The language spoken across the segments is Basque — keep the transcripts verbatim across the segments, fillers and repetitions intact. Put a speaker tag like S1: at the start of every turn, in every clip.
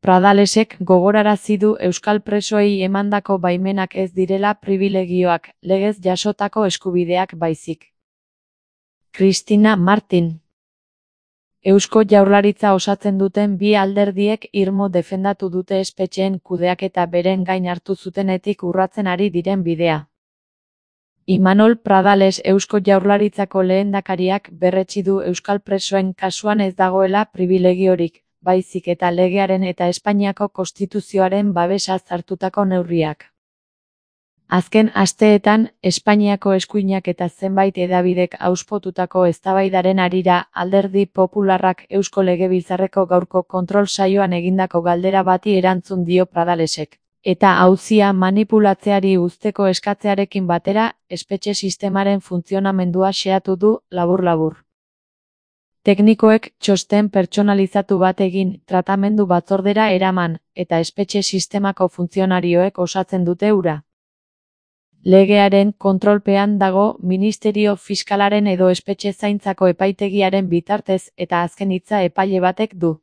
S1: Pradalesek gogorarazi du euskal presoei emandako baimenak ez direla pribilegioak, legez jasotako eskubideak baizik. Cristina Martin. Eusko Jaurlaritza osatzen duten bi alderdiek irmo defendatu dute espetxeen kudeaketa beren gain hartu zutenetik urratzen ari diren bidea. Imanol Pradales Eusko Jaurlaritzako lehendakariak berretsi du euskal presoen kasuan ez dagoela pribilegiorik, baizik eta legearen eta Espainiako konstituzioaren babesaz hartutako neurriak. Azken asteetan, Espainiako eskuinak eta zenbait hedabidek auspotutako eztabaidaren harira Alderdi Popularrak Eusko Legebiltzarreko gaurko kontrol saioan egindako galdera bati erantzun dio Pradalesek, eta auzia manipulatzeari uzteko eskatzearekin batera, espetxe sistemaren funtzionamendua xehatu du, labur-labur. Teknikoek txosten pertsonalizatu bat egin, tratamendu batzordera eraman, eta espetxe sistemako funtzionarioek osatzen dute hura. Legearen kontrolpean dago Ministerio Fiskalaren edo espetxe zaintzako epaitegiaren bitartez eta azken hitza epaile batek du.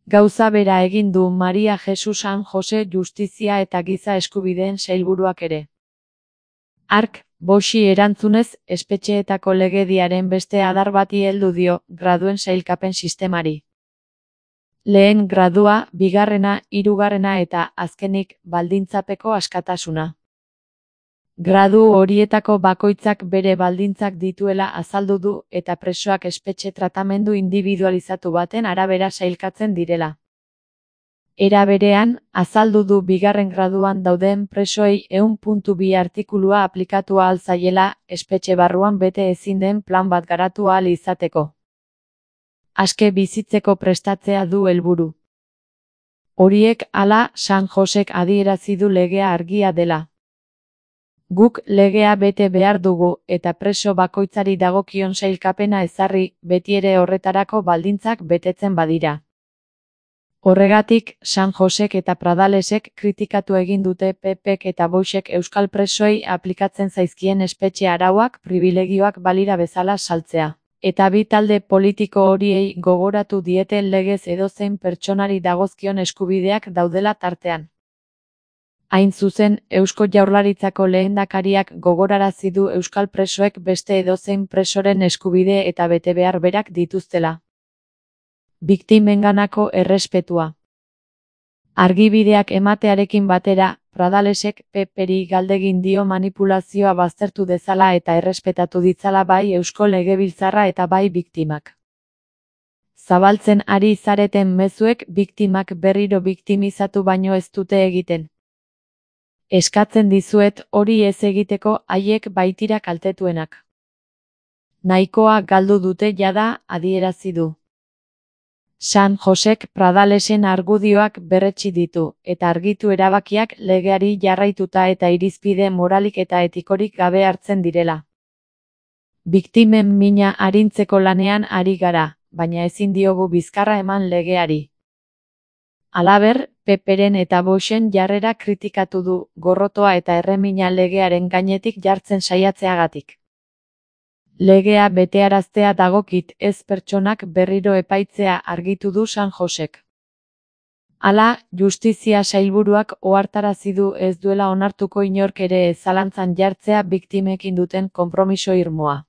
S1: Gauza bera egin du Maria Jesus San Jose Justizia eta Giza Eskubideen Sailburuak ere. Ark, Boxi erantzunez, espetxeetako legediaren beste adar bati heldu dio, graduen sailkapen sistemari. Lehen gradua, bigarrena, hirugarrena eta, azkenik, baldintzapeko askatasuna. Gradu horietako bakoitzak bere baldintzak dituela azaldu du eta presoak espetxe tratamendu indibidualizatu baten arabera sailkatzen direla. Era berean, azaldu du bigarren graduan dauden presoei ehun puntu bi artikulua aplikatu ahal zaiela, espetxe barruan bete ezin den plan bat garatu ahal izateko. Aske bizitzeko prestatzea du helburu. Horiek hala, San Josek adierazi du legea argia dela. Guk legea bete behar dugu eta preso bakoitzari dagokion sailkapena ezarri, betiere horretarako baldintzak betetzen badira. Horregatik, San Josek eta Pradalesek kritikatu egin dute P Pek eta Boixek euskal presoei aplikatzen zaizkien espetxe arauak pribilegioak balira bezala saltzea. Eta bi talde politiko horiei gogoratu diete legez edozein pertsonari dagozkion eskubideak daudela tartean. Hain zuzen, Eusko Jaurlaritzako lehendakariak gogorarazi du euskal presoek beste edozein presoren eskubide eta betebehar berak dituztela. Biktimenganako errespetua. Argibideak ematearekin batera, Pradalesek P Peri galdegin dio manipulazioa baztertu dezala eta errespetatu ditzala bai Eusko Legebiltzarra eta bai biktimak. Zabaltzen ari zareten mezuek biktimak berriro biktimizatu baino ez dute egiten. Eskatzen dizuet hori ez egiteko haiek baitira kaltetuenak. Nahikoa galdu dute jada, adierazi du. San Josek Pradalesen argudioak berretsi ditu, eta argitu erabakiak legeari jarraituta eta irizpide moralik eta etikorik gabe hartzen direla. Biktimen mina arintzeko lanean ari gara, baina ezin diogu bizkarra eman legeari. Halaber, P Peren eta Boixen jarrera kritikatu du, gorrotoa eta erremina legearen gainetik jartzen saiatzeagatik. Legea betearaztea dagokit ez pertsonak berriro epaitzea argitu du San Josek. Hala, Justizia Sailburuak ohartarazi du ez duela onartuko inork ere zalantzan jartzea biktimekin duten konpromiso irmoa.